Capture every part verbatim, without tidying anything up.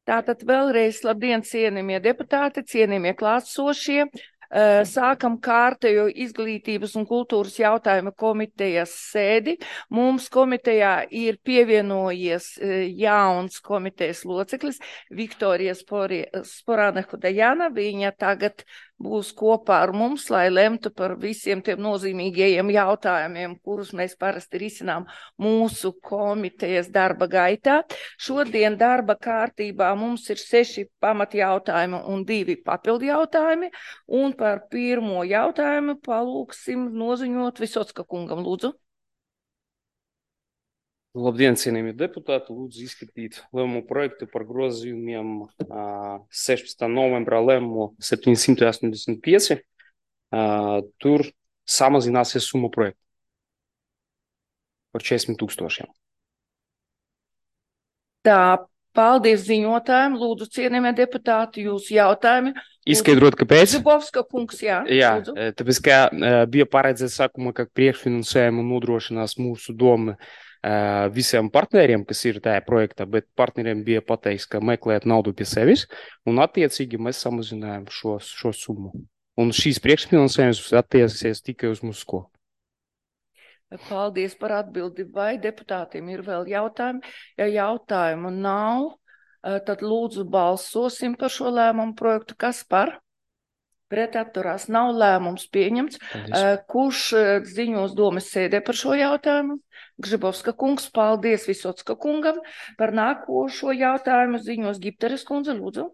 Tātad vēlreiz labdien, cienījamie deputāti, cienījamie klātsošie. Sākam kārtējo izglītības un kultūras jautājumu komitejas sēdi. Mums komitejā ir pievienojies jauns komitejas loceklis Viktorija Sporānehu-Dejana. Viņa tagad būs kopā ar mums, lai lemtu par visiem tiem nozīmīgajiem jautājumiem, kurus mēs parasti risinām mūsu komitejas darba gaitā. Šodien darba kārtībā mums ir seši pamatjautājumi un divi papildu jautājumi, un par pirmo jautājumu palūksim noziņot Visocka kungam, lūdzu. Labdien, cienījamie deputāti, lūdzu izskatīt lēmumu projektu par grozījumiem sešpadsmitā novembrā lēmumu septiņsimt astoņdesmit pieci. Tur samazināsies summa projekta par četrdesmit tūkstošiem. Tā, paldies ziņotājiem. Lūdzu, cienījamie deputāti, jūsu jautājumi. Izskaidrot, kāpēc? Zubovska kungs, jā. Jā, lūdzu. Tāpēc, ka bija paredzēts sākumā, ka priekšfinansējumu nodrošinās mūsu doma visiem partneriem, kas ir tajā projektā, bet partneriem bija pateiks, ka meklēt naudu pie sevis, un attiecīgi mēs samazinājām šo, šo summu. Un šīs priekšfinansējums attieksies tikai uz mūsu skolu. Paldies par atbildi. Vai deputātiem ir vēl jautājumi? Ja jautājumu nav, tad lūdzu balsosim par šo lēmumu projektu. Kas par? Pret atturās nav, lēmums pieņemts. Paldies. Kurš ziņos domas sēdē par šo jautājumu? Gžibovska kungs, paldies Visocka kungam. Par nākošo jautājumu ziņos Gipteres kundze, lūdzu.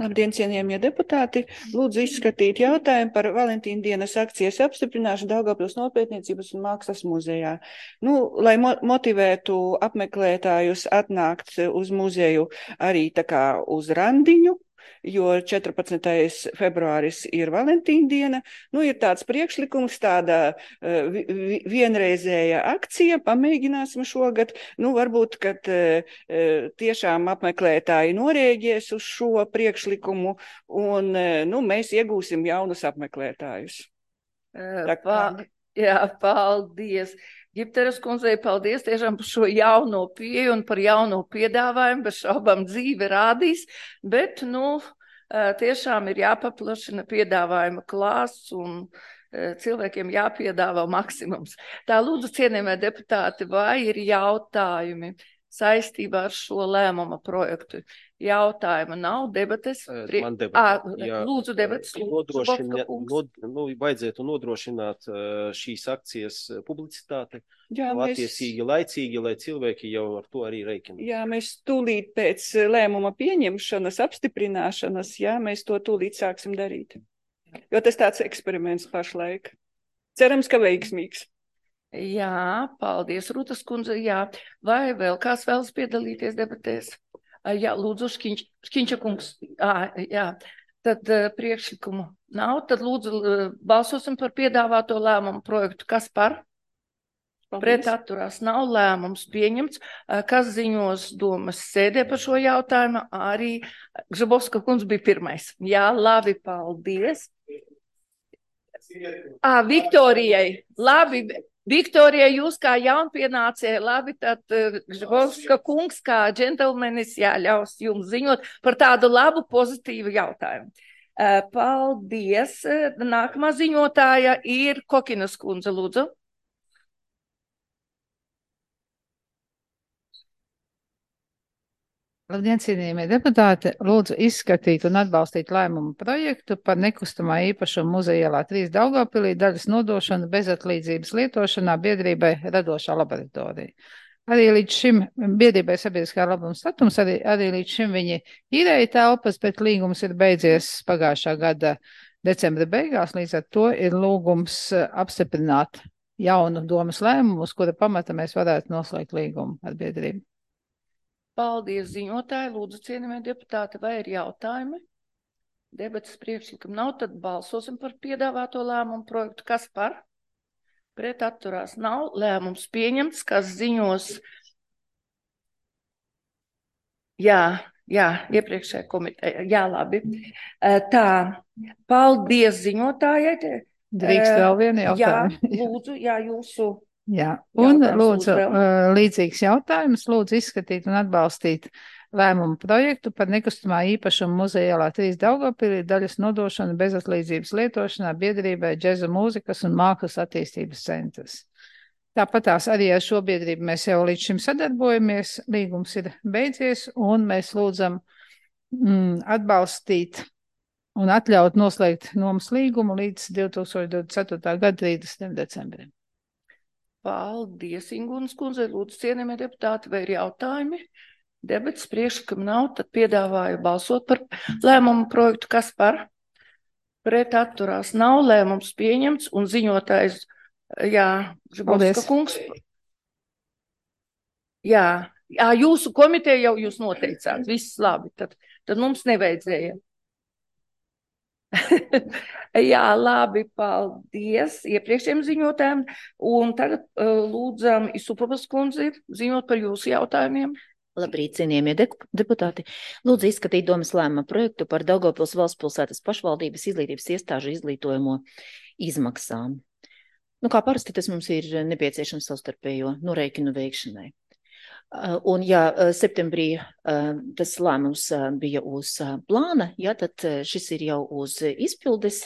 Labdien, cienījamie deputāti! Lūdzu izskatīt jautājumu par Valentīna dienas akcijas apstiprināšanu Daugavpils Nopietniecības un mākslas muzejā. Nu, lai mo motivētu apmeklētājus atnākt uz muzeju arī tā kā uz randiņu, jo četrpadsmitais februāris ir Valentīna diena, nu ir tāds priekšlikums, tāda uh, vienreizēja akcija, pamēģināsim šogad, nu varbūt, kad uh, tiešām apmeklētāji norēģies uz šo priekšlikumu un uh, nu, mēs iegūsim jaunus apmeklētājus. Uh, pa, jā, paldies. Gipteres kundzei paldies tiešām par šo jauno pieeju un par jauno piedāvājumu, bez šaubām dzīve rādīs, bet, nu, tiešām ir jāpaplašina piedāvājuma klāsts un cilvēkiem jāpiedāvā maksimums. Tā, lūdzu, cienījamie deputāti, vai ir jautājumi saistībā ar šo lēmuma projektu? Jautājuma nav, debates. Prie... Man debata. À, lūdzu, debates. Nodrošina, nod, nu, vajadzētu nodrošināt šīs akcijas publicitāti. Jā, mēs... Attiecīgi laicīgi, lai cilvēki jau ar to arī reikina. Jā, mēs tūlīt pēc lēmuma pieņemšanas, apstiprināšanas, jā, mēs to tūlīt sāksim darīt. Jo tas tāds eksperiments pašlaik. Cerams, ka veiksmīgs. Jā, paldies, Rūtas kundze, jā. Vai vēl kāds vēlas piedalīties debatēs? Jā, lūdzu, Škiņš, Škiņša kungs. À, jā, tad priekšlikumu nav. Tad lūdzu balsosim par piedāvāto lēmumu projektu. Kas par? Paldies. Pret atturās nav, lēmums pieņemts. Kas ziņos domas sēdē par šo jautājumu? Arī Gžibovska kungs bija pirmais. Jā, labi, paldies. À, Viktorijai, labi. Viktorija, jūs kā jaunpienācēji, labi, tad Gžibovska kungs kā džentelmenis jāļaus jums ziņot par tādu labu, pozitīvu jautājumu. Paldies. Nākamā ziņotāja ir Kokinas kundze, lūdzu. Labdien, cienījamie deputāti! Lūdzu izskatīt un atbalstīt lēmumu projektu par nekustamā īpašuma muzeja ielā trīs Daugavpilī daļas nodošanu bezatlīdzības lietošanā biedrībai Radošā laboratorija. Arī līdz šim biedrībai sabiedriskā labuma statums, arī, arī līdz šim viņi īrēja telpas, bet līgums ir beidzies pagājušā gada decembra beigās, līdz ar to ir lūgums apstiprināt jaunu domas lēmumu, uz kura pamata mēs varētu noslēgt līgumu ar biedrību. Paldies, ziņotāji. Lūdzu, cienījamie deputāti, vai ir jautājumi? Debates priekšlikumi nav, tad balsosim par piedāvāto lēmumu projektu. Kas par? Pret atturās nav, lēmums pieņemts, kas ziņos. Jā, jā, iepriekšējā komiteja. Jā, labi. Tā, paldies ziņotājai. Drīkst vēl vienu jautājumu. Jā, lūdzu, jā, jūsu Jā, un Jautājums lūdzu, lūdzu vēl. uh, līdzīgs jautājums, lūdzu izskatīt un atbalstīt lēmumu projektu par nekustamā īpašuma muzeja ielā trīs Daugavpilī daļas nodošanu bezatlīdzības lietošanā biedrībai Džeza mūzikas un mākslas attīstības centrs. Tāpat tās arī ar šo biedrību mēs jau līdz šim sadarbojamies, līgums ir beidzies, un mēs lūdzam mm, atbalstīt un atļaut noslēgt nomas līgumu līdz divi tūkstoši divdesmit ceturtā gada trīsdesmitajam decembrim. Paldies, Ingunas kundze, lūdzu, cienījamie deputāti, vai ir jautājumi? Debats priekšlikam nav, tad piedāvāju balsot par lēmumu projektu, kas par pret atturās nav, lēmums pieņemts un ziņotājs, jā, Žibovska kungs. Jā, jā, jūsu komiteja jau jūs noteicāt, viss labi, tad, tad mums nevajadzēja. Jā, labi, paldies iepriekšējiem ziņotājiem, un tagad uh, lūdzam Isupovas kundzi ziņot par jūsu jautājumiem. Labrīt, cienījamie deputāti. Lūdzu izskatīt domas lēmuma projektu par Daugavpils valsts pilsētas pašvaldības izglītības iestāžu izglītojamo izmaksām. Nu, kā parasti tas mums ir nepieciešams savstarpējo norēķinu veikšanai. Un ja septembrī tas lēmums bija uz plāna, ja, tad šis ir jau uz izpildes.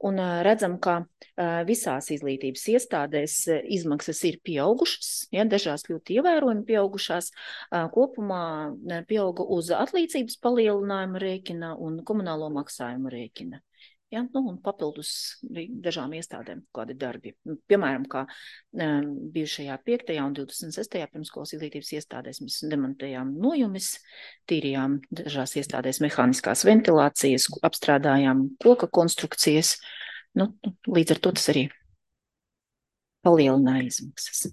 Un redzam, ka visās izglītības iestādēs izmaksas ir pieaugušas, ja, dažās ļoti ievērojami pieaugušās, kopumā pieauga uz atlīdzības palielinājumu rēķina un komunālo maksājumu rēķina. Ja, nu, un papildus dažām iestādēm kādi darbi. Piemēram, kā um, bijušajā piektajā un divdesmit sestajā pirmskolas izglītības iestādēs mēs demontējām nojumis, tīrījām dažās iestādēs mehāniskās ventilācijas, apstrādājām koka konstrukcijas. Nu, līdz ar to tas arī palielināja izmaksas.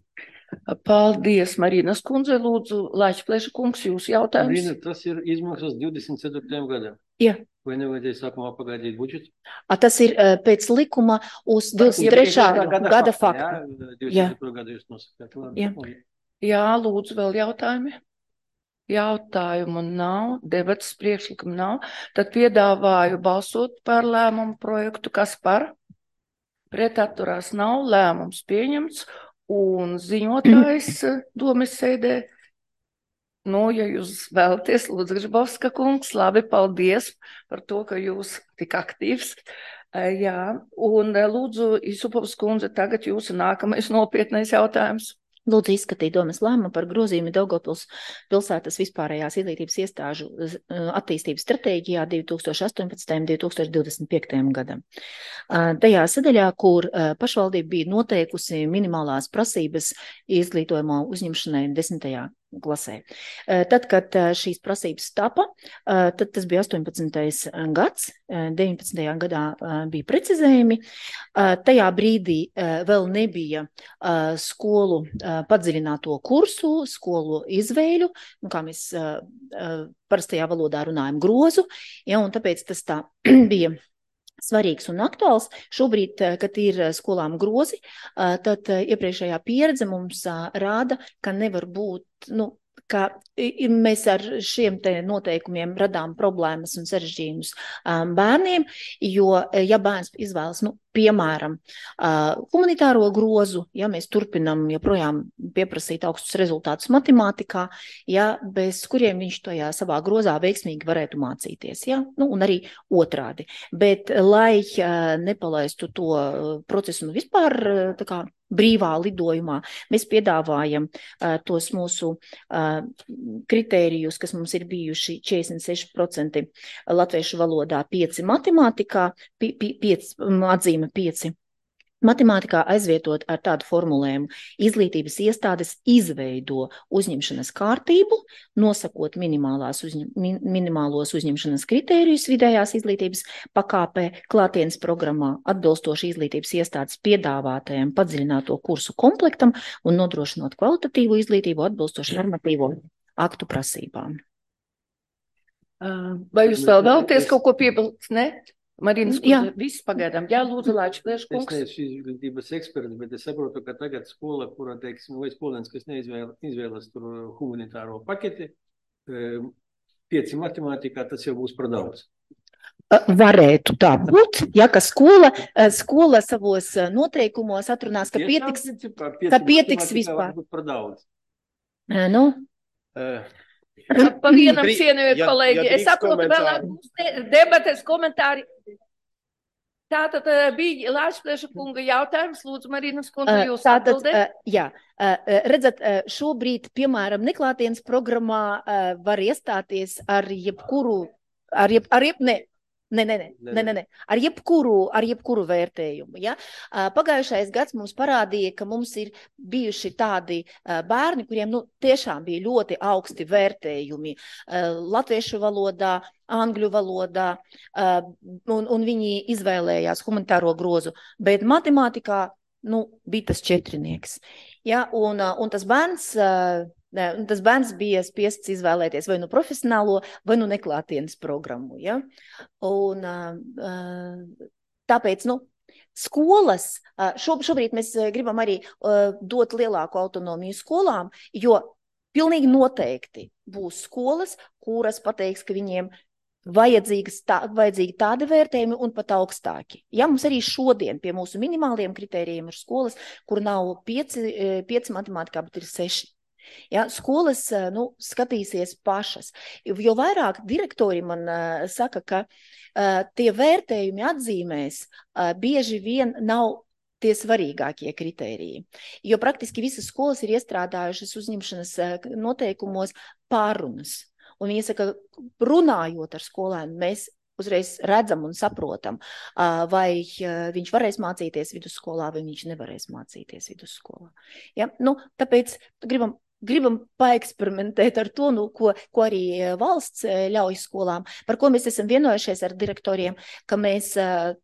Paldies, Marinas kundze, lūdzu, Laičplēša kungs, jūsu jautājums. Marina, tas ir izmaksas divdesmit ceturtajam gadam. Jā. Vai nevajadzēja sākumā pagaidīt budžetu? A, tas ir uh, pēc likuma uz divdesmit trešā gada faktu. Jā, divdesmit trešā gada jūs nosakāt. Jā. Jā, lūdzu, vēl jautājumi. Jautājumu nav, debatas priekšlikumu nav. Tad piedāvāju balsot par lēmumu projektu, kas par pret atturās nav, lēmums pieņemts. Un ziņotājs domas sēdē, nu, ja jūs vēlaties, lūdzu, Gržbovska kungs, labi, paldies par to, ka jūs tik aktīvs. Jā, un lūdzu, Isupovas kundze, tagad jūsu nākamais nopietnais jautājums. Lūdzu izskatīt domas lēmumu par grozījumu Daugavpils pilsētas vispārējās izglītības iestāžu attīstības stratēģijā divi tūkstoši astoņpadsmitajam līdz divi tūkstoši divdesmit piektajam gadam. Tajā sadaļā, kur pašvaldība bija noteikusi minimālās prasības izglītojumā uzņemšanai desmitajā klasē. Tad, kad šīs prasības tapa, tad tas bija astoņpadsmitais gads, deviņpadsmitajā gadā bija precizējumi. Tajā brīdī vēl nebija skolu padziļināto kursu, skolu izvēļu, nu, kā mēs parastajā valodā runājam, grozu, ja, un tāpēc tas tā bija svarīgs un aktuāls. Šobrīd, kad ir skolām grozi, tad iepriekšējā pieredze mums rāda, ka nevar būt, nu, ka mēs ar šiem te noteikumiem radām problēmas un sarežģījumus bērniem, jo, ja bērns izvēlas, nu, piemēram, humanitāro grozu, ja mēs turpinam joprojām pieprasīt augstus rezultātus matemātikā, ja, bez kuriem viņš tajā savā grozā veiksmīgi varētu mācīties, ja, nu, un arī otrādi. Bet, lai nepalaistu to procesu nu vispār tā kā brīvā lidojumā, mēs piedāvājam uh, tos mūsu uh, kritērijus, kas mums ir bijuši četrdesmit seši procenti latviešu valodā, pieci matemātikā, pi, pi, pieci, atzīme pieci. Matemātikā aizvietot ar tādu formulējumu: izglītības iestādes izveido uzņemšanas kārtību, nosakot minimālās uzņem, min, minimālos uzņemšanas kritērijus vidējās izglītības pakāpē, klātienes programmā, atbilstoši izglītības iestādes piedāvātajam padziļināto kursu komplektam un nodrošinot kvalitatīvu izglītību atbilstoši normatīvo aktu prasībām. Vai jūs vēl vēlaties kaut ko piebilst? Ne? Marinas kundze, viss pagaidām. Jā, lūdzu, Laičplēša kungs. Es neesmu šīs izglītības eksperts, bet es saprotu, ka tagad skola, kura, teiksim, vai skolēns, kas neizvēlas, izvēlas tur humanitāro paketi, pieci matemātikā, tas jau būs par daudz. Varētu tā būt, ja, ka skola, skola savos noteikumos atrunās, ka pietiks, ka pietiks vispār. Nu? Pa vienam cienījot, kolēģi, es saprotu vēl debates, komentāri. Tātad bija Lāčplieša kunga jautājums, lūdzu, Marinas kundze, jūs atbildēt? Jā, redzat, šobrīd, piemēram, neklātienes programmā var iestāties ar jebkuru, ar jeb, ar jeb, ne, Ne, ne, ne, ne, ne, ne. Ar jebkuru, ar jebkuru vērtējumu. Ja? Pagājušais gads mums parādīja, ka mums ir bijuši tādi bērni, kuriem nu, tiešām bija ļoti augsti vērtējumi latviešu valodā, angļu valodā, un, un viņi izvēlējās humanitāro grozu, bet matemātikā nu, bija tas četrinieks. Ja? Un, un tas bērns... Tas bērns bija spiests izvēlēties vai nu profesionālo, vai nu neklātienes programmu. Ja? Un, tāpēc, nu, skolas, šobrīd mēs gribam arī dot lielāku autonomiju skolām, jo pilnīgi noteikti būs skolas, kuras pateiks, ka viņiem vajadzīgas tā, vajadzīgi tādi vērtējumi un pat augstāki. Ja, mums arī šodien pie mūsu minimāliem kritērijiem ir skolas, kur nav pieci, pieci matemātikā, bet ir seši. Ja, skolas nu, skatīsies pašas, jo vairāk direktori man uh, saka, ka uh, tie vērtējumi atzīmēs uh, bieži vien nav tie svarīgākie kritēriji, jo praktiski visas skolas ir iestrādājušas uzņemšanas uh, noteikumos pārunas, un viņi saka, runājot ar skolēnu, mēs uzreiz redzam un saprotam, uh, vai uh, viņš varēs mācīties vidusskolā, vai viņš nevarēs mācīties vidusskolā. Ja, nu, tāpēc gribam Gribam paeksperimentēt ar to, nu, ko, ko arī valsts ļauj skolām, par ko mēs esam vienojušies ar direktoriem, ka mēs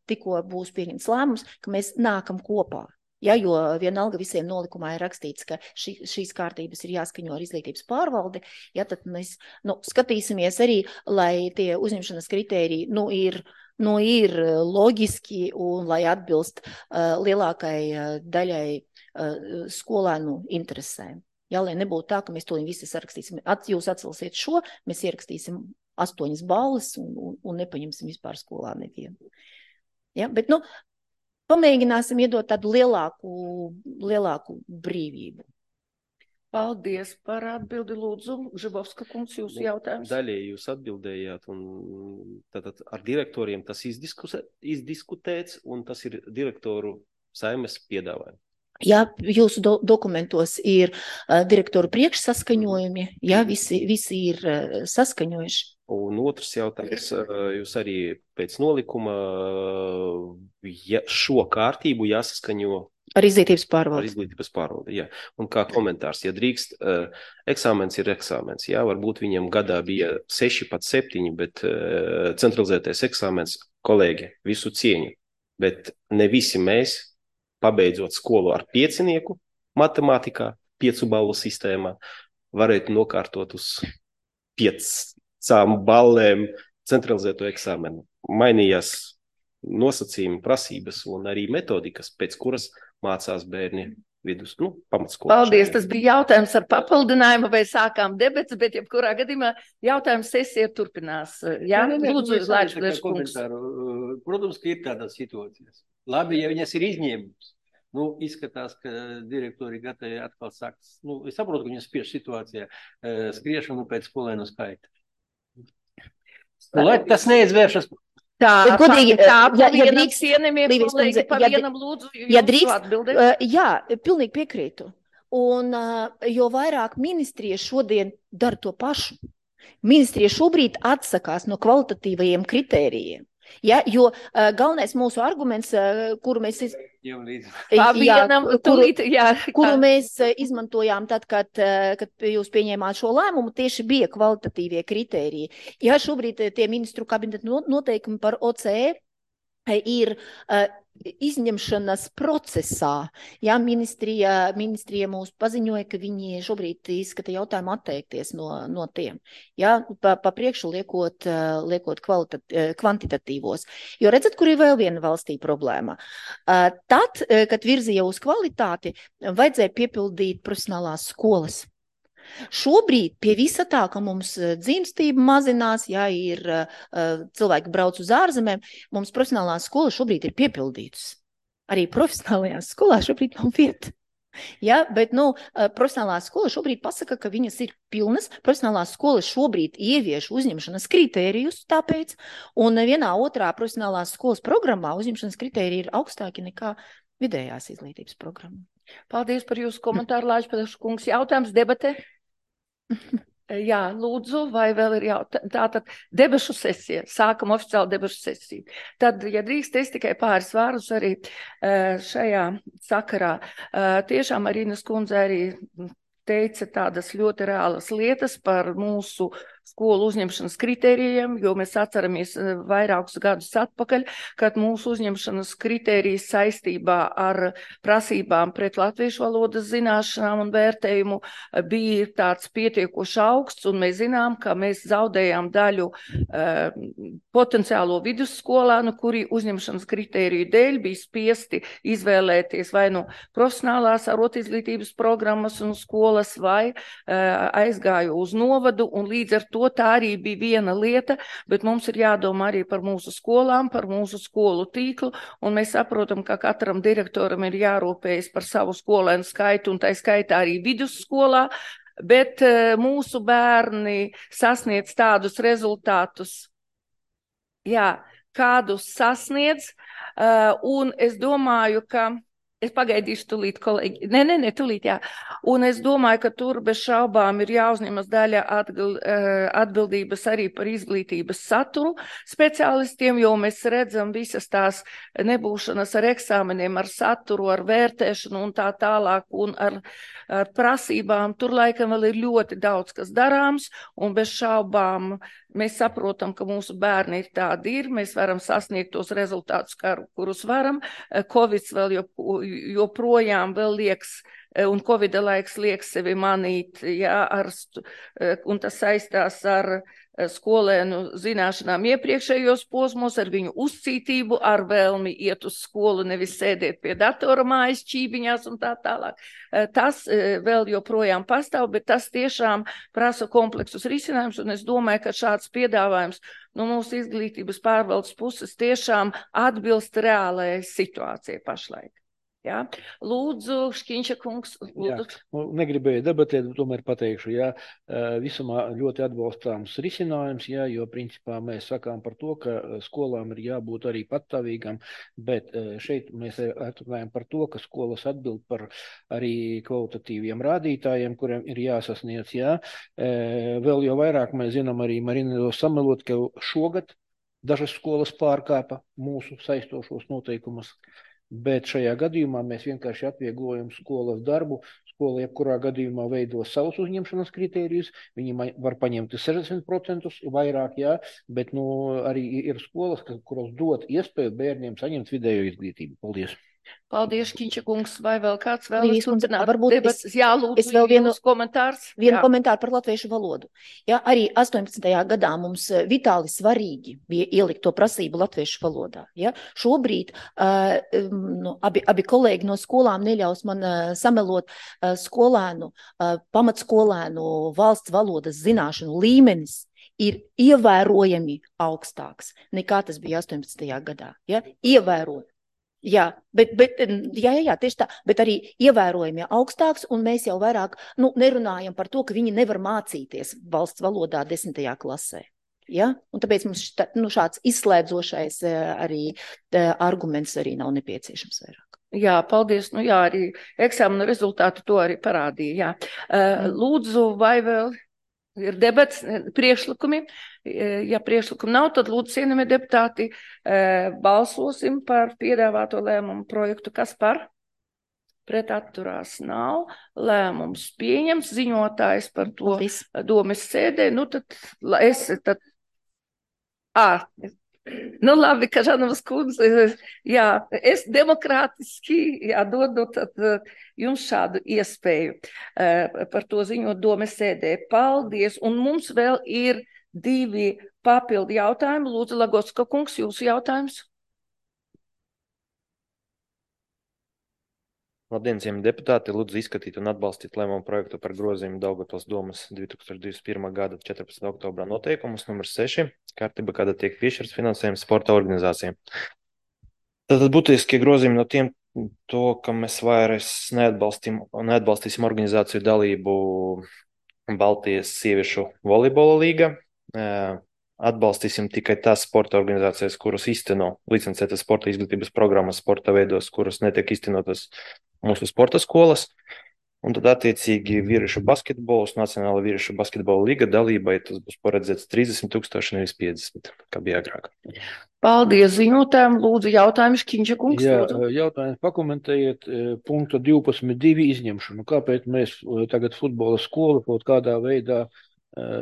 tikko būs pieņemts lēmums, ka mēs nākam kopā. Ja, jo vienalga visiem nolikumā ir rakstīts, ka šī, šīs kārtības ir jāskaņo ar izglītības pārvaldi, ja, tad mēs nu, skatīsimies arī, lai tie uzņemšanas kritēriji nu, ir, nu, ir loģiski un lai atbilst uh, lielākai uh, daļai uh, skolēnu interesēm. Ja, lai nebūtu tā, ka mēs to visi sarakstīsim, At, jūs atcelsiet šo, mēs ierakstīsim astoņas balles un, un, un nepaņemsim vispār skolā nevienu. Ja, bet, nu, pamēģināsim iedot tādu lielāku, lielāku brīvību. Paldies par atbildi, lūdzu. Žibovska kungs, jūsu jautājums. Daļēji jūs atbildējāt, un tātad ar direktoriem tas izdiskutēts, un tas ir direktoru saimes piedāvājums. Ja jūsu do dokumentos ir uh, direktoru priekšsaskaņojumi, ja visi, visi ir uh, saskaņojuši. Un otrs jautājums, uh, jūs arī pēc nolikuma ja šo kārtību jāsaskaņo ar izglītības pārvaldi. Ar izglītības pārvaldi, jā. Un kā komentārs, ja drīkst, uh, eksāmens ir eksāmens, jā, varbūt viņam gadā bija seši pat septiņi, bet uh, centralizētais eksāmens, kolēģi, visu cieņu, bet ne visi mēs, pabeidzot skolu ar piecinieku matemātikā, piecu balvu sistēmā, varētu nokārtot uz piecām ballēm centralizēto eksāmenu. Mainījās nosacījumi, prasības un arī metodikas, pēc kuras mācās bērni vidus, nu, pamatskolas. Paldies, tas bija jautājums ar papildinājumu, vai sākām debetes, bet jebkurā gadījumā jautājums sesija turpinās. Jā, ne, ne, lūdzu, Lāčplieša kungs. Protams, ka ir tādas situācijas. Labi, ja viņas ir izņēmums. Nu, izskatās, ka direktori gatavi atkal sākt. Nu, es saprotu, ka viņas spiež situācijā skriešanu pēc skolēnu skaita. Nu, lai tas neizvēršas. Tā, godīgi, tā, ja, ja drīkst, cienījamie kolēģi, pa ja, vienam lūdzu, ja drīkst, atbildēt. Uh, jā, pilnīgi piekrītu. Un uh, jo vairāk ministrija šodien dara to pašu. Ministrija šobrīd atsakās no kvalitatīvajiem kritērijiem. Ja, jo uh, galvenais mūsu arguments, uh, kuru mēs, iz... jā, vienam, kuru, tulīt, jā, kuru mēs uh, izmantojām tad, kad, uh, kad jūs pieņēmāt šo lēmumu, tieši bija kvalitatīvie kritēriji. Ja šobrīd tie ministru kabineta noteikumi par O C E ir uh, izņemšanas procesā. Ja, ministrija, ministrija mūs paziņoja, ka viņi šobrīd izskata jautājumu atteikties no, no tiem. Ja, pa, pa priekšu liekot, liekot kvantitatīvos. Jo redzat, kur ir vēl viena valstī problēma. Uh, tad, kad virzīja uz kvalitāti, vajadzēja piepildīt profesionālās skolas. Šobrīd pie visa tā, ka mums dzimstība mazinās, jā, ir uh, cilvēki brauc uz ārzemēm, mums profesionālās skolas šobrīd ir piepildītas. Arī profesionālajās skolās šobrīd nav vieta. Ja, bet, nu, profesionālā skola šobrīd pasaka, ka viņas ir pilnas. Profesionālā skola šobrīd ievieš uzņemšanas kritērijus tāpēc, un vienā otrā profesionālās skolas programmā uzņemšanas kritēriji ir augstāki nekā vidējās izglītības programma. Paldies par jūsu komentāru, Lāčpedašu kungs. Jautājums debate? Jā, lūdzu, vai vēl ir jautājums? Tātad debašu sesija. Sākam oficiāli debašu sesiju. Tad, ja drīkst, es tikai pāris vārdus arī šajā sakarā. Tiešām Marīnas kundze arī teica tādas ļoti reālas lietas par mūsu skolu uzņemšanas kritērijiem, jo mēs atceramies vairākus gadus atpakaļ, kad mūsu uzņemšanas kritērijas saistībā ar prasībām pret latviešu valodas zināšanām un vērtējumu bija tāds pietiekoši augsts, un mēs zinām, ka mēs zaudējām daļu uh, potenciālo vidusskolānu, kuri uzņemšanas kritēriju dēļ bija spiesti izvēlēties vai nu profesionālās arotizglītības programmas un skolas, vai uh, aizgāju uz novadu, un līdz ar to tā arī bija viena lieta, bet mums ir jādomā arī par mūsu skolām, par mūsu skolu tīklu, un mēs saprotam, ka katram direktoram ir jārūpējas par savu skolēnu skaitu, un tā skaitā arī vidusskolā, bet uh, mūsu bērni sasniedz tādus rezultātus, jā, kādus sasniedz, uh, un es domāju, ka es pagaidīšu tulīt, kolēģi. Nē, nē, nē, tulīt, jā. Un es domāju, ka tur bez šaubām ir jāuzņemas daļa atbildības arī par izglītības saturu speciālistiem, jo mēs redzam visas tās nebūšanas ar eksāmeniem, ar saturu, ar vērtēšanu un tā tālāk, un ar, ar prasībām. Tur laikam vēl ir ļoti daudz, kas darāms, un bez šaubām mēs saprotam, ka mūsu bērni ir tādi ir, mēs varam sasniegt tos rezultātus, kurus varam. Covids vēl joprojām vēl liekas, un Covida laiks liek sevi manīt, jā, ar, un tas saistās ar skolēnu zināšanām iepriekšējos posmos, ar viņu uzcītību, ar vēlmi iet uz skolu, nevis sēdēt pie datora mājas čībiņās un tā tālāk. Tas vēl joprojām pastāv, bet tas tiešām prasa kompleksus risinājumus, un es domāju, ka šāds piedāvājums no mūsu izglītības pārvaldes puses tiešām atbilst reālajai situācijai pašlaik. Jā. Lūdzu, Škiņša kungs. Lūdzu. Jā, negribēju debatēt, tomēr pateikšu, jā, visumā ļoti atbalstāms risinājums, jā, jo principā mēs sakām par to, ka skolām ir jābūt arī patstāvīgām, bet šeit mēs atrunājam par to, ka skolas atbild par arī kvalitatīviem rādītājiem, kuriem ir jāsasniedz, jā. Vēl jau vairāk mēs zinām arī Marina samelot, ka šogad dažas skolas pārkāpa mūsu saistošos noteikumus. Bet šajā gadījumā mēs vienkārši atvieglojam skolas darbu. Skola jebkurā gadījumā veido savus uzņemšanas kritērijus. Viņi var paņemt sešdesmit procentus vairāk, jā, bet nu, arī ir skolas, kuras dod iespēju bērniem saņemt vidējo izglītību. Paldies! Paldies, Škiņša kungs, vai vēl kāds vēl turpināt? Varbūt debatas? es, Jā, lūdzu, es vēl vienu komentārs. Vienu Jā. komentāru par latviešu valodu. Ja, arī astoņpadsmitajā gadā mums vitāli svarīgi bija ielikt to prasību latviešu valodā. Ja. Šobrīd uh, nu, abi, abi kolēģi no skolām neļaus man uh, samelot uh, skolēnu, uh, pamatskolēnu valsts valodas zināšanu līmenis ir ievērojami augstāks nekā tas bija astoņpadsmitajā gadā. Ja. Ievērojami. Jā, bet, bet, jā, jā, jā, tieši tā, bet arī ievērojami augstāks, un mēs jau vairāk nu, nerunājam par to, ka viņi nevar mācīties valsts valodā desmitajā klasē. Ja? Un tāpēc mums šta, nu, šāds izslēdzošais arī arguments arī nav nepieciešams vairāk. Jā, paldies. Nu jā, arī eksāmena rezultāti to arī parādīja. Jā. Lūdzu, vai vēl ir debats, priekšlikumi? Ja priekšlikumi nav, tad lūdzu, cienījamie deputāti, balsosim par piedāvāto lēmumu projektu. Kas par? Pret atturās nav. Lēmums pieņems, ziņotājs par to Paldies. domes sēdē. Nu tad es tad... Ā, nu labi, ka Žanovas kundze, jā, es demokrātiski, jā, dodu tad jums šādu iespēju par to ziņot domes sēdē. Paldies. Un mums vēl ir divi papildu jautājumi. Lūdzu, Lagotska kungs, jūsu jautājums. Labdien, cienījamie deputāti, lūdzu izskatīt un atbalstīt lēmumu projektu par grozījumu Daugavpils domas divi tūkstoši divdesmit pirmā gada četrpadsmitā oktobrā noteikumus numur seši, kārtība, kāda tiek piešķirts finansējums sporta organizācijām. Tātad būtiskie grozījumi no tiem to, ka mēs vairs neatbalstīsim, neatbalstīsim organizāciju dalību Baltijas sieviešu volejbola līga. Atbalstīsim tikai tās sporta organizācijas, kuras īsteno licencētas sporta izglītības programmas sporta veidos, kuras netiek īstenotas mūsu sporta skolas. Un tad attiecīgi vīriešu basketbols, Nacionāla vīriešu basketbola līga dalībai tas būs paredzēts trīsdesmit tūkstoši, nevis piecdesmit, kā bija agrāk. Paldies ziņotājiem. Lūdzu, jautājums Kiņša kungs. Jā, lūdzu. jautājums pakomentējiet punktu divpadsmit divi izņemšanu. Kāpēc mēs tagad futbola skolu kaut kādā veidā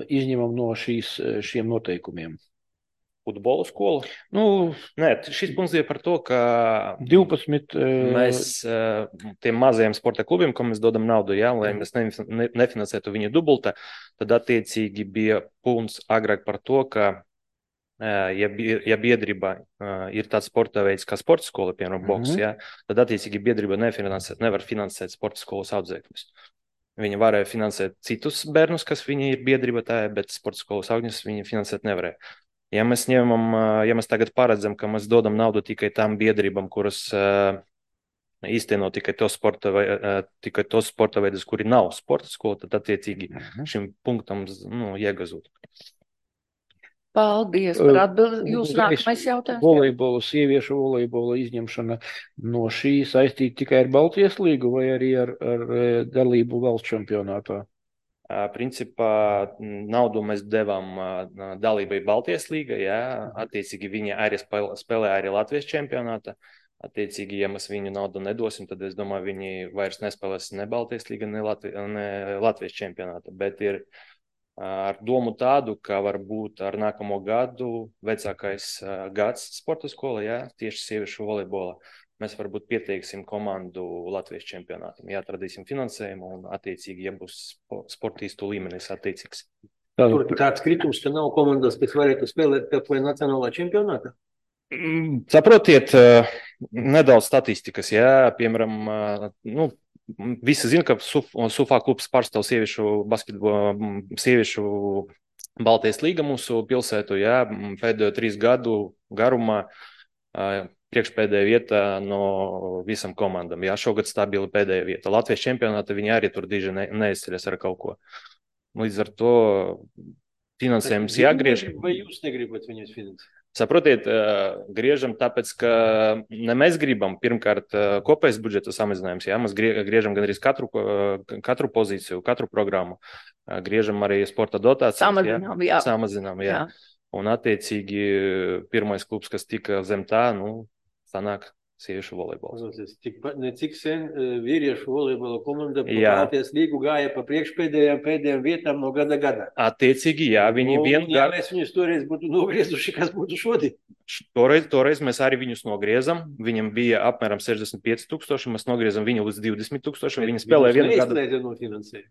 izņemam no šīs, šiem noteikumiem? Futbola skola? Nu, Nē, šis punkts ir par to, ka divpadsmit mēs tiem mazajiem sporta klubiem, ko mēs dodam naudu, jā, lai mēs nefinansētu viņu dubulta, tad attiecīgi bija punkts agrāk par to, ka ja, ja biedrība ir tāds sporta veids kā sporta skola, piemēram, boks, jā, tad attiecīgi biedrība nefinansēt, nevar finansēt sporta skolas audzēkļus. Viņa varēja finansēt citus bērnus, kas viņi ir biedrība tā, bet sporta skolas augļus viņi finansēt nevarēja. Ja mēs ņemam, ja mēs tagad paredzam, ka mēs dodam naudu tikai tām biedrībām, kuras uh, īsteno tikai tos sporta, uh, tikai tos sporta veidus, kuri nav sporta skola, tad attiecīgi šim punktam nu, iegazūt. Paldies par atbildi. Jūsu nākamais jautājums. Volejbola, sieviešu volejbola izņemšana no šī saistīta tikai ar Baltijas līgu vai arī ar, ar dalību valsts čempionātā? Principā naudu mēs devām dalībai Baltijas līga, jā, attiecīgi viņi arī spēlē arī Latvijas čempionāta, attiecīgi, ja mēs viņu naudu nedosim, tad es domāju, viņi vairs nespēlēs ne Baltijas līga, ne, Latvi, ne Latvijas čempionāta, bet ir ar domu tādu, ka varbūt ar nākamo gadu vecākais gads sporta skola, jā, tieši sieviešu volejbola. Mēs varbūt pieteiksim komandu Latvijas čempionātam, ja atradīsim finansējumu un attiecīgi, ja būs sportistu līmenis attiecīgs. Tur tāds kritums, ka nav komandas, kas varētu spēlēt vai nacionālā čempionātā? Saprotiet, nedaudz statistikas, jā, piemēram, nu, visi zina, ka Sufā klubs pārstāv sieviešu basketbolu, sieviešu Baltijas līga mūsu pilsētu, jā, pēdējo trīs gadu garumā priekšpēdējā vieta no visam komandam. Jā, šogad stabili pēdējā vieta. Latvijas čempionāta viņi arī tur diži ne, neizceļas ar kaut ko. Līdz ar to finansējums jāgriež. Vai jūs negribat viņus finansēt? Saprotiet, griežam tāpēc, ka ne mēs gribam pirmkārt kopējs budžeta samazinājums. Jā, mēs griežam gan arī katru, katru pozīciju, katru programmu. Griežam arī sporta dotācijas. Samazinām, jā. jā. Samazinām, jā. jā. Un attiecīgi pirmais klubs, kas tika zem tā, nu, sanāk sieviešu volejbols. Cik, ne cik sen vīriešu volejbola komanda Baltijas līgu gāja pa priekšpēdējām pēdējām vietām no gada gada. Attiecīgi, jā, viņi no, vien... Ja mēs viņus toreiz būtu nogriezuši, kas būtu šodien? Toreiz, toreiz mēs arī viņus nogriezam. Viņam bija apmēram sešdesmit pieci tūkstoši, mēs nogriezam viņu līdz divdesmit tūkstoši. Viņi spēlēja vienu gadu.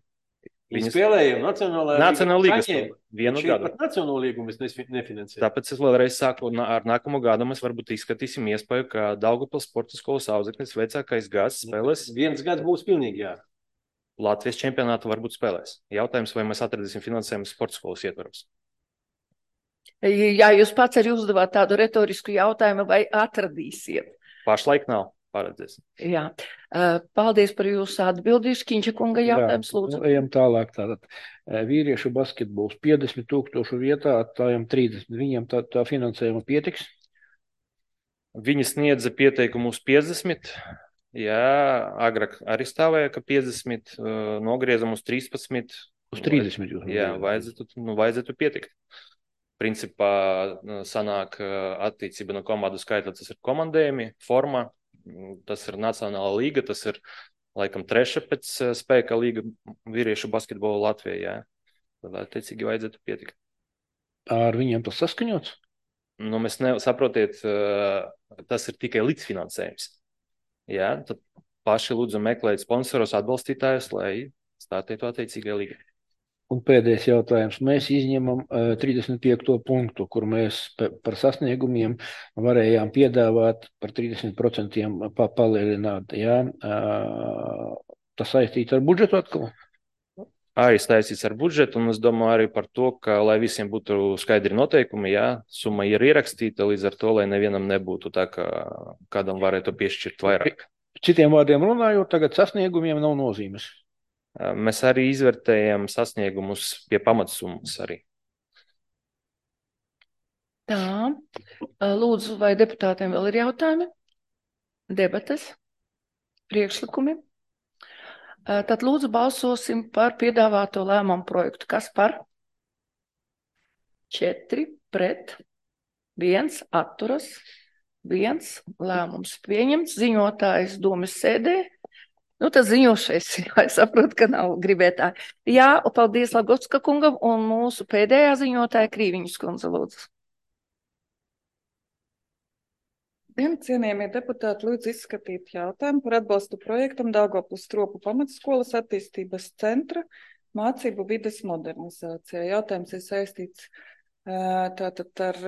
Viņi spēlēja Nacionālā Nacionāla līga vienu gadu. Pat Nacionāla līgu mēs nefinansējam. Tāpēc es vēlreiz saku, ar nākamo gadu mēs varbūt izskatīsim iespēju, ka Daugavpils sporta skolas audzeknis vecākais gads spēlēs. Viens gads būs pilnīgi, jā. Latvijas čempionātu varbūt spēlēs. Jautājums, vai mēs atradīsim finansējumu sporta skolas ietvaros. Jā, jūs pats arī uzdevāt tādu retorisku jautājumu, vai atradīsiet? Pašlaik nav. Paredzēs. Jā, paldies par jūsu atbildīšu. Kiņša kunga jautājums, lūdzu. Jā, ejam tālāk. Tātad vīriešu basketbols piecdesmit tūkstošu vietā, tājam trīsdesmit. Viņiem tā, tā finansējuma pietiks? Viņi sniedza pieteikumu uz piecdesmit. Jā, agrāk arī stāvēja, ka piecdesmit, nogriezam uz trīspadsmit. Uz trīsdesmit jūs. Jā, vajadzētu, nu, vajadzētu pietikt. Principā sanāk attiecība no komandu skaita, tas ir komandējumi, forma. Tas ir Nacionāla līga, tas ir laikam treša pēc spēka līga vīriešu basketbolu Latvijā. Jā. Tad attiecīgi vajadzētu pietikt. Ar viņiem tas saskaņots? Nu, mēs ne, saprotiet, tas ir tikai līdzfinansējums. Jā, tad paši lūdzu meklēt sponsorus, atbalstītājus, lai stātītu attiecīgai līgai. Un pēdējais jautājums. Mēs izņemam uh, trīsdesmit piekto punktu, kur mēs par sasniegumiem varējām piedāvāt par trīsdesmit procentiem pa palielināt. Jā? Uh, tas saistīts ar budžetu atkal? Arī saistīts ar budžetu, un es domāju arī par to, ka, lai visiem būtu skaidri noteikumi, jā, summa ir ierakstīta, līdz ar to, lai nevienam nebūtu tā, ka kādam varētu piešķirt vairāk. Citiem vārdiem runājot, tagad sasniegumiem nav nozīmes. Mēs arī izvērtējam sasniegumus pie pamatsummas arī. Tā, lūdzu, vai deputātiem vēl ir jautājumi? Debates? Priekšlikumi? Tad lūdzu balsosim par piedāvāto lēmumu projektu. Kas par? Četri pret, viens atturas, viens lēmums pieņemts. Ziņotājs domas sēdē. Nu, tas ziņošais, jā, es saprotu, ka nav gribētāji. Jā, paldies Lagovska kungam un mūsu pēdējā ziņotāja Krīviņas kundze, lūdzu. Dien, cienījamie deputāti, lūdzu izskatīt jautājumu par atbalstu projektam Daugavpils Stropu pamatskolas attīstības centra mācību vides modernizācijā. Jautājums ir saistīts tātad ar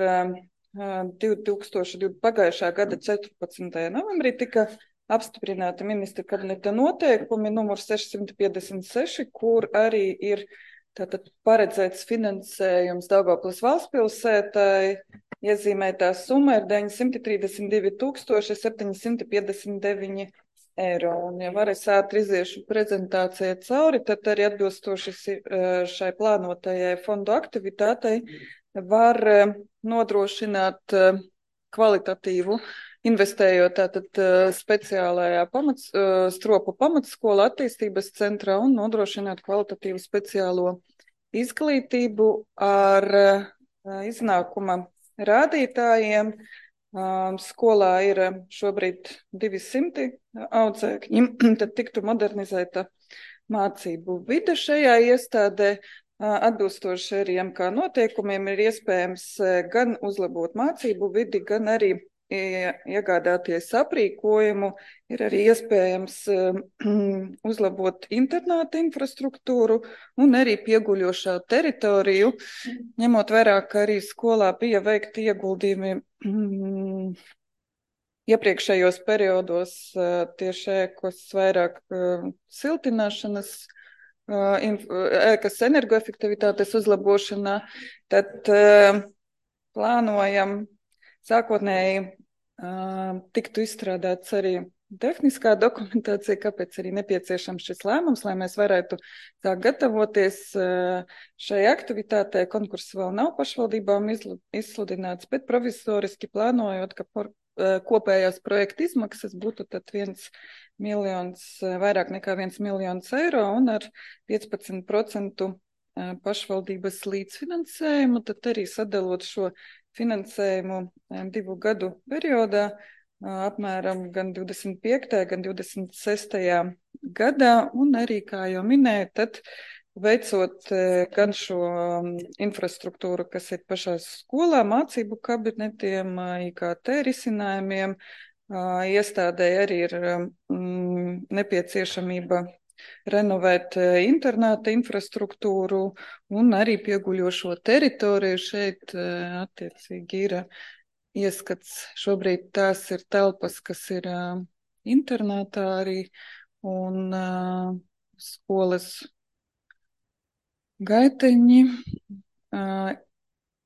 pagājušā gada četrpadsmitajā novembrī tika apstiprināti ministra kabineta noteikumi numur sešsimt piecdesmit seši, kur arī ir tātad paredzēts finansējums Daugavpils valstspilsētai. Iezīmētā summa ir deviņsimt trīsdesmit divi tūkstoši septiņsimt piecdesmit deviņi eiro. Un, ja var es ātri iziešu prezentācijai cauri, tad arī atbilstoši šai plānotajai fondu aktivitātei var nodrošināt kvalitatīvu, investējot tātad speciālajā pamats, Stropu pamatskola attīstības centrā un nodrošināt kvalitatīvu speciālo izglītību ar iznākuma rādītājiem. Skolā ir šobrīd divsimti audzēkņi, tad tiktu modernizēta mācību vide šajā iestādē. Atbilstoši arī M K noteikumiem ir iespējams gan uzlabot mācību vidi, gan arī iegādāties aprīkojumu, ir arī iespējams uzlabot internāta infrastruktūru un arī pieguļošā teritoriju, ņemot vērā, ka arī skolā bija veikti ieguldījumi mm, iepriekšējos periodos tieši ēkas vairāk siltināšanas, ēkas energoefektivitātes uzlabošanā, tad plānojam sākotnēji uh, tiktu izstrādāts arī tehniskā dokumentācija, kāpēc arī nepieciešams šis lēmums, lai mēs varētu tā gatavoties uh, šai aktivitātei. Konkurss vēl nav pašvaldībām izsludināts, bet provizoriski plānojot, ka por, uh, kopējās projekta izmaksas būtu tad viens miljons, vairāk nekā viens miljons eiro un ar piecpadsmit procentu pašvaldības līdzfinansējumu, tad arī sadalot šo finansējumu divu gadu periodā, apmēram gan divdesmit piektajā, gan divdesmit sestajā gadā, un arī, kā jau minēju, tad veicot gan šo infrastruktūru, kas ir pašā skolā, mācību kabinetiem, I K T risinājumiem, iestādē arī ir mm, nepieciešamība renovēt internāta infrastruktūru un arī pieguļošo teritoriju. Šeit attiecīgi ir ieskats. Šobrīd tās ir telpas, kas ir internātā arī un skolas gaiteņi,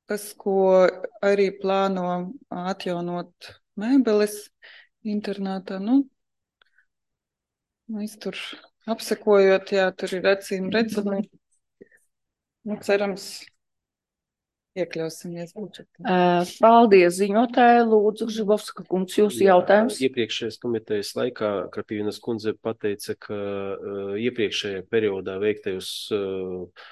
tas, ko arī plāno atjaunot mēbeles internātā. Nu, mēs tur apsekojot, jā, tur ir acīm redzami. Nu, cerams, iekļausimies budžetā. Paldies, ziņotāji. Lūdzu, Žibovska kungs, jūsu jautājums. Iepriekšējās komitejas laikā Krapīvienas kundze pateica, ka uh, iepriekšējā periodā veiktajos uh,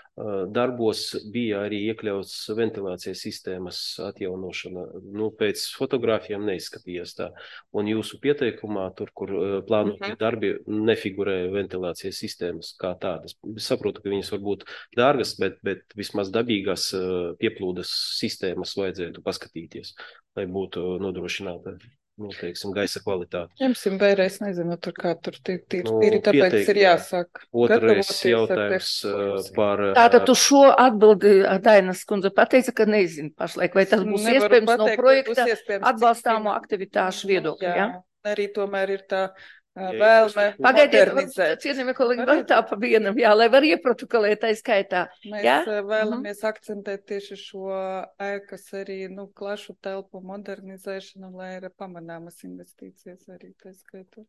darbos bija arī iekļauts ventilācijas sistēmas atjaunošana. Nu, pēc fotogrāfijām neizskatījās tā. Un jūsu pieteikumā, tur, kur plānotie darbi, nefigurē ventilācijas sistēmas kā tādas. Es saprotu, ka viņas var būt dārgas, bet, bet vismaz dabīgās pieplūdes sistēmas vajadzētu paskatīties, lai būtu nodrošināta nu, teiksim, gaisa kvalitāti. Ņemsim vēlreiz, nezinu, tur kā tur tīri, tīri, Nu, tīri, tāpēc pieteikt. ir jāsāk. Otrais gatavoties ar jautājums tekstu. uh, par... uh, Tātad tu šo atbildi Dainas kundze pateica, ka nezinu pašlaik, vai tas būs Nevaru iespējams pateikt, no vai projekta būs iespējams, cik atbalstāmo fin- aktivitāšu viedokļa, Jā, ja? arī tomēr ir tā ā, Ja vēlme Pagaidiet, modernizēt. cienījamie kolēģi, var tā pa vienam, jā, lai var ieprotokolēt tai skaitā. Mēs Jā? ā, vēlamies akcentēt tieši šo ēkas arī, nu, plašu telpu modernizēšanu, lai ir pamanāmas investīcijas arī tā skaitā.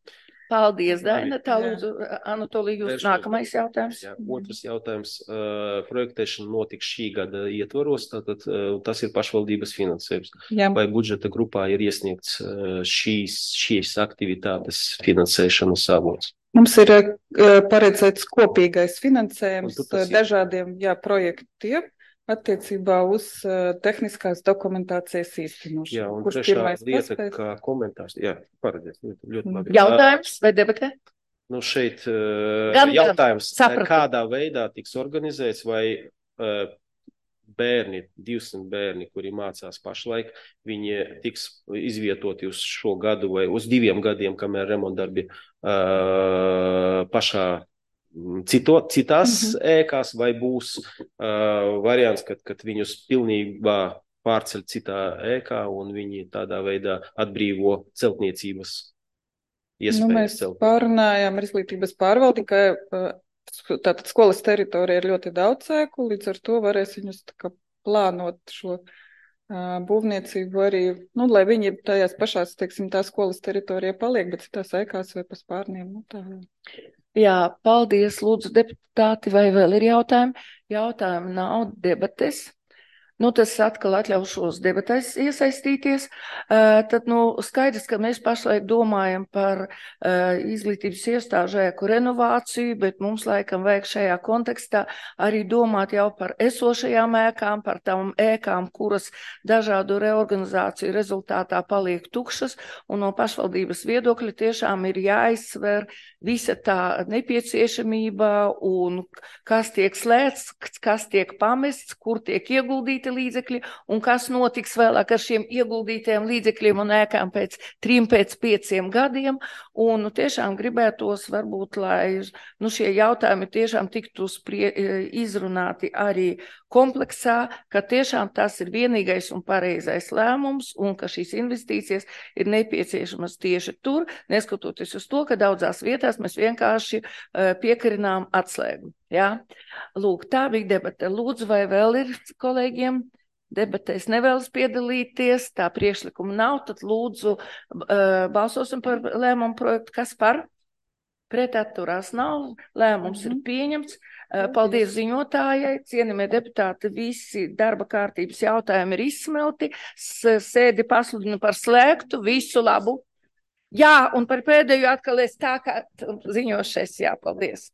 Paldies, Daina. Tā Jā. lūdzu, Anatolija, jūs Vēršos. nākamais jautājums. Jā, otrs jautājums. Uh, projektēšana notiks šī gada ietvaros, tātad uh, tas ir pašvaldības finansējums. Jā, Vai budžeta grupā ir iesniegts uh, šīs, šīs aktivitātes finansēšanas avots? mums ir ā, paredzēts kopīgais finansējums Un tu tas ā, dažādiem, jā, projektiem attiecībā uz ā, tehniskās dokumentācijas īstenošanu. Jā, un Kurš trešā pirmais lieta, paspēs? kā komentārs. Jā, paredies, ļoti, ļoti labi. Jautājums vai debatē? Nu, šeit uh, Gan- gan. jautājums, Sapratu. kādā veidā tiks organizēts, vai uh, bērni, divsimt bērni, kuri mācās pašlaik, viņi tiks izvietoti uz šo gadu vai uz diviem gadiem, kamēr remontdarbi uh, pašā mm, cito, citās Mhm. ēkās, vai būs uh, variants, kad, kad viņus pilnībā pārceļ citā ēkā un viņi tādā veidā atbrīvo celtniecības Nu, iespējas. mēs celt. pārunājām ar izglītības pārvaldi, ka ā, tātad skolas teritorija ir ļoti daudz ēku, līdz ar to varēs viņus tā kā plānot šo ā, būvniecību arī, nu, lai viņi tajās pašās, teiksim, tā skolas teritorija paliek, bet citās ēkās vai pa spārniem. Nu, tā. Jā, paldies, lūdzu, deputāti, vai vēl ir jautājumi? Jautājumi nav, debates. Nu, tas atkal atļaušos debatēs iesaistīties. Uh, tad, nu, skaidrs, ka mēs pašlaik domājam par uh, izglītības iestāžu ēku renovāciju, bet mums laikam vajag šajā kontekstā arī domāt jau par esošajām ēkām, par tām ēkām, kuras dažādu reorganizāciju rezultātā paliek tukšas, un no pašvaldības viedokļa tiešām ir jāizsver visa tā nepieciešamība un kas tiek slēgts, kas tiek pamests, kur tiek ieguldīti līdzekļi un kas notiks vēlāk ar šiem ieguldītajiem līdzekļiem un ēkām pēc trim, pēc pieciem gadiem. Un nu, tiešām gribētos varbūt, lai nu, šie jautājumi tiešām tiktu sprie, izrunāti arī kompleksā, ka tiešām tas ir vienīgais un pareizais lēmums un ka šīs investīcijas ir nepieciešamas tieši tur, neskatoties uz to, ka daudzās vietās mēs vienkārši uh, piekarinām atslēgu. Jā? Lūk, tā bija debata. Lūdzu, vai vēl ir kolēģiem debatēs nevēlas piedalīties, tā priekšlikuma nav, tad lūdzu uh, balsosim par lēmumu projektu. Kas par? Pret atturās nav, lēmums mm-hmm. ir pieņemts. Uh, paldies ziņotājai, cienījamie deputāti, visi darba kārtības jautājumi ir izsmelti, S sēdi pasludinu par slēgtu, visu labu. Jā, un par pēdējo atkal es tā kā ziņošais, jā, paldies.